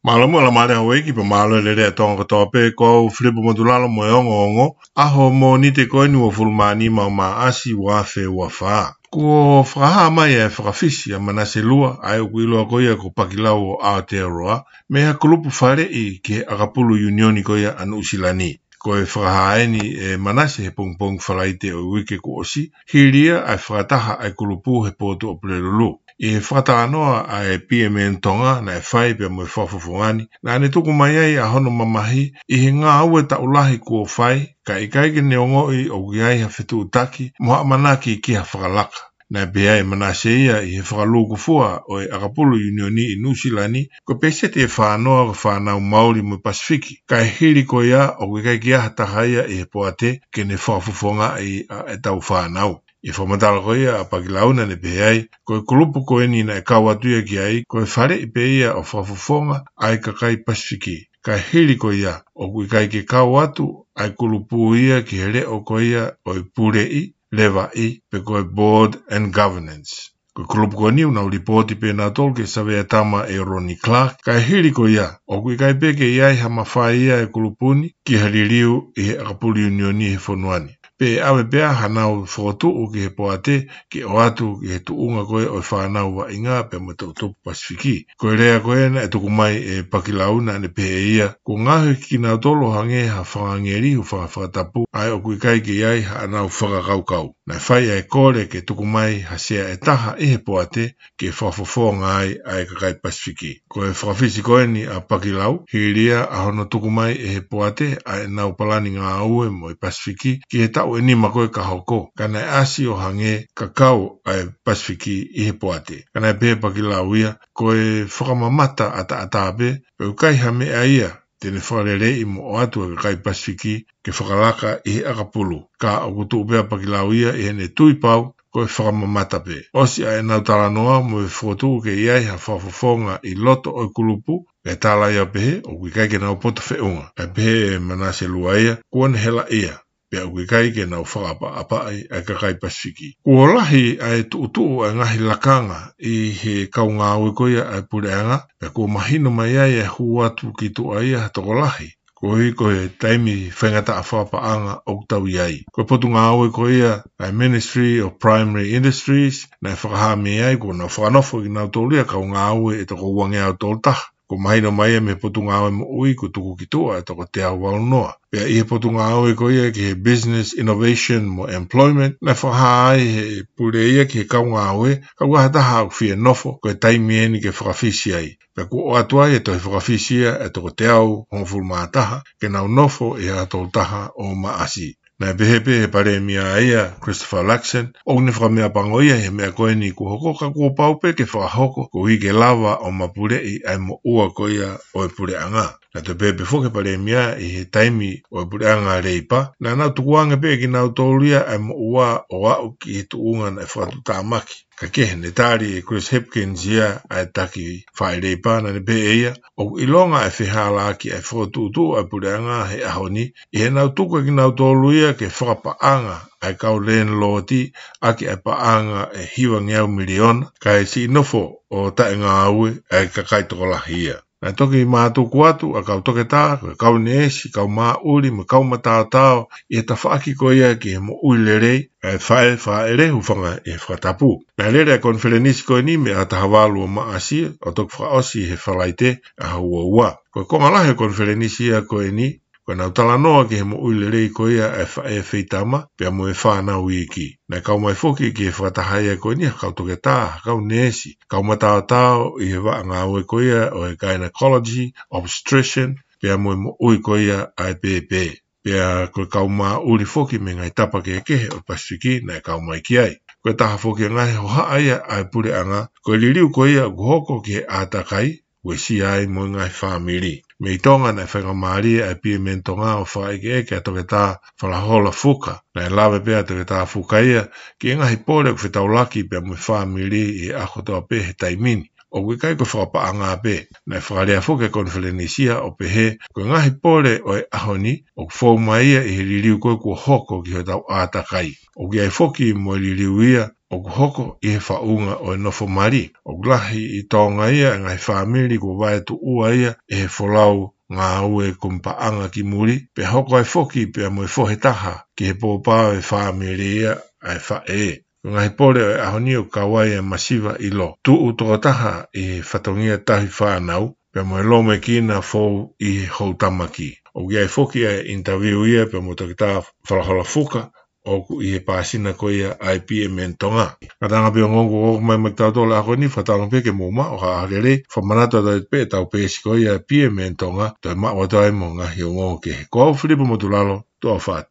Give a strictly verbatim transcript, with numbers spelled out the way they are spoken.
Mālō muʻa Laumālie Houʻeiki pea mālō e lelei ʻa Tonga kotoa pē, ko au Filipo Motulalo mo e ongoongo, ʻaho Mōnite ko eni uofulu mā nima ʻo Maʻasi ua afe ua fā. Kuo fakahā mai e fakafisi ʻa Manase Lua, ʻa ia ʻoku ʻiloa ko ia ko Pakilau ʻo Aotearoa, mei ha kulupu faleʻi ki he ʻakapulu ʻiunioni ko ia ʻa Nuʻusila ni. Ko e fakahā eni ʻe Manase he pongipongi Falaite ʻo e uike kuo ʻosi, hili ia ʻa e fakataha ʻa e kulupu he potu ʻo Pulelulu. ʻI he fakatalanoa ʻa e P M N Tonga naʻe fai pea mo e fakafofonga ni, naʻa ne tuku mai ai ʻa hono mamahi ʻi he ngāue taʻu lahi kuo fai, kae ʻikai ke ne ongoʻi ʻoku ʻi ai ha fetuʻutaki mo ha ʻamanaki ki ha fakalaka. Naʻe pehē ʻe Manase ia ʻi he fakalūkufua ʻo e ʻakapulu ʻiunioni ʻi Nuʻusila ni, ko e peseti ʻe fā noa ko e fānau Mauli mo e Pasifiki. Kae hili ko ia, ʻoku ʻikai ke ʻi ai ha taha ia ʻi he poate ke ne fakafofongaʻi ʻa ʻetau fānau. ʻI he fakamatala ko ia ʻa Pakilau naʻa ne pehē ai, ko e kulupu ko eni naʻe kau atu ia ki ai, ko e faleʻi pē ia ʻo fakafofonga ʻa e kakai Pasifiki. Kae hili ko ia, ʻoku ʻikai ke kau atu ʻa e kulupu ia ki he leʻo ko ia ʻo e puleʻi, levaʻi, pe ko e board and governance. Ko e kulupu ko eni ʻoku nau lipooti pē nautolu ki he Savea Tama ʻe Ronnie Clark, kae hili ko ia, ʻoku ʻikai pē ke ʻi ai ha mafai ia ʻa e kulupu ni ki ha liliu ʻi he ʻakapulu ʻiunioni he fonua ni. Pe ʻave pē ʻa hanau fokotuʻu ki he poate ke ʻoatu ki he tuʻunga ko ia ʻo e fānau vaʻinga pea mo e toʻutupu Pasifiki. Ko e lea ko ē naʻe tuku mai ʻe Pakilau naʻa ne pehē ia, kuo ngaohi kinautolu ʻo hangē ha fanga ngeli, hūfanga he fakatapu, ʻa ia ʻoku ʻikai ke ʻi ai haʻanau fakakaukau. Naʻe fai ʻa e kole ke tuku mai ha sea ʻe taha ʻi he poate ke fakafofonga ai ʻa e kakai Pasifiki. Ko e fakafisi ko eni ʻa Pakilau, hili ia ʻa hono tuku mai ʻe he poate ʻa ʻenau palani ngāue mo e Pasifiki ki he taʻu ʻe nima ko ē ka hoko, ka naʻe ʻasi ʻo hangē ka kau ʻa e Pasifiki ʻi he poate. Ka naʻe pehē ʻe Pakilau ia, ko e fakamamata ʻataʻatā pē, pea ʻoku ʻikai ha meʻa ia te ne fakaleleiʻi mo ʻoatu ʻa e kakai Pasifiki ke fakalaka ʻi he ʻakapulu. Ka ʻoku tuʻu pē ʻa Pakilau ia ʻi heʻene tui pau ko e fakamamata pē. ʻOsi ʻa ʻenau talanoa mo e fokotuʻu ke ʻi ai ha fakafofonga ʻi loto ʻo e kulupu, pea tala ia ʻo pehē ʻoku ʻikai ke nau poto feʻunga. Pea pehē ʻe Manase Lua ia, kuo ne helaʻia, pea ʻoku ʻikai ke nau fakaʻapaʻapaʻi ʻa e kakai Pasifiki. Kuo lahi ʻa e tuʻutuʻu ʻa e ngaahi lakanga ʻi he kau ngāue ko ia ʻa e puleʻanga, pea kuo mahino mai ai ʻa e hū atu ki tuʻa ia ha tokolahi, koeʻuhi ko e taimi faingataʻa fakapaʻanga ʻoku tau ʻi ai. Ko e potungāue ko ia ʻa e Ministry of Primary Industries, naʻe fakahā mei ai kuo nau fakanofo kinautolu ia kau ngāue ʻe toko uangeau tolu taha. Kuo mahino mai ia mei he Potungāue Moʻui kuo tuku ki tuʻa ʻe toko teau valu noa. Pea ʻi he potungāue ko ia ki he Business Innovation mo Employment, naʻe fakahā ai ʻe he pule ia ki he kau ngāue, kapau ʻoku ʻi ai ha taha ʻoku fie nofo, ko e taimi eni ke fakafisi ai. Pea kuo ʻoatu ai ʻa e tohi fakafisi ia ʻe toko teau hongofulu mā taha, ke nau nofo ʻi he ʻaho tolu taha ʻo Maʻasi. Naʻe pehē pē ʻe he Palēmia ia, Christopher Luxon, ʻoku ne fakameʻapango ia he meʻa ko eni kuo hoko ka kuo pau pē ke fakahoko koeʻuhi ke lava ʻo mapuleʻi ʻa e moʻua ko ia ʻo e puleʻanga. Naʻe toe pehē pē foki ʻe he Palēmia ʻi he taimi ʻo e puleʻanga Leipa, naʻa nau tukuange pē kinautolu ia ʻa e moʻua ʻo aʻu ki he tuʻunga naʻe fakatuʻutāmaki. Ka kehe, ne tali ʻe Chris Hipkins ia ʻa e taki faaʻi Leipa, naʻa ne pehē ʻe ia, ʻoku ʻilonga ʻa e fehālaaki ʻa e fokotuʻutuʻu ʻa e puleʻanga he ʻaho ni, ʻi heʻenau tuku ʻe kinautolu ia ke fakapaʻanga ʻa e kau landlord ʻaki ʻa e paʻanga ʻe hivangeau miliona, kae siʻi nofo ʻo taʻengāue ʻa e kakai tokolahi ia. Naʻe toki mātuku atu ʻa e kau toketā, ko e kau neesi, kau māʻuli, mo e kau mataotao ʻi he tafaʻaki ko ia ki he moʻui lelei ʻa e faʻē fāʻele, hūfanga he fakatapu. Naʻe lele ʻa e konifelenisi ko eni mei he ʻaho taha valu ʻo Maʻasi ʻo toki fakaʻosi he Falaite ʻaho ua ua. Ko e konga lahi ʻo e konifelenisi ia ko eni, ko ʻenau talanoa ki he moʻui lelei ko ia ʻa e faʻē feitama pea mo e fānau iiki. Naʻe kau mai foki ki he fakataha ia ko eni ha kau toketā, ha kau neesi, kau mataotao ʻi he vaʻa ngāue ko ia ʻo e gynecology, obstetrician, pea mo e moʻui ko ia ʻa e pēpē. Pea ko e kau māʻuli foki mei he ngaahi tapa kehekehe ʻo e Pasifiki naʻe kau mai ki ai. Ko e taha foki ʻa e ngaahi hohaʻa ia ʻa e puleʻanga, ko e liliu ko ia ʻoku hoko ki he ʻātakai, uesia ai mo e ngaahi fāmili. Mei Tonga naʻe faingamālie ʻa e P M N Tonga ʻo fakaʻekeʻeke ʻa Toketā Falahola Fuka. Naʻe lave pē ʻa Toketā Fuka ia ki he ngaahi pole ʻoku fetaulaki pea mo e fāmili ʻi he ʻaho kotoa pē he taimi ni. ʻOku ʻikai ko e fakapaʻanga pē. Naʻe fakalea foki ʻa e konifelenisi ia ʻo pehē, ko e ngaahi pole ʻo e ʻaho ni, ʻoku fou mai ia ʻi he liliu ko ē kuo hoko ki hotau ʻātakai. ʻOku ʻi ai foki mo e liliu ia ʻoku hoko ʻi he faʻunga ʻo e nofo mali. ʻOku lahi ʻi Tonga ia e ngaahi fāmili kuo vaetuʻua ia ʻe he folau ngāue kumi paʻanga ki muli, pea hoko ai foki pea mo e fohe taha ki he pōpā ʻo e fāmili ia ʻa e faʻē. Ko e ngaahi pole ʻo e ʻaho ni ʻoku kau ai e masiva ʻilo, tuʻu tokotaha ʻi he fatongia tauhi fānau, pea mo e lōmekina fou ʻi he houtamaki. ʻOku ʻi ai foki e interview ia pea mo Toketā Falahola Fuka, ʻoku ʻi he pāsina ko ia ʻa e P M N Tonga. Ngataʻanga pē ongoongo kuo ʻomai maʻa kitautolu he ʻaho ni, fakatauange pē ke mou maʻu ha ʻaho lelei, fakamanatu atu pē ʻetau peesi ko ia P M N Tonga, toe maʻu atu ai mo e ngaahi ongoongo kehe. Ko au Filipo Motulalo, tuʻa ʻofa atu.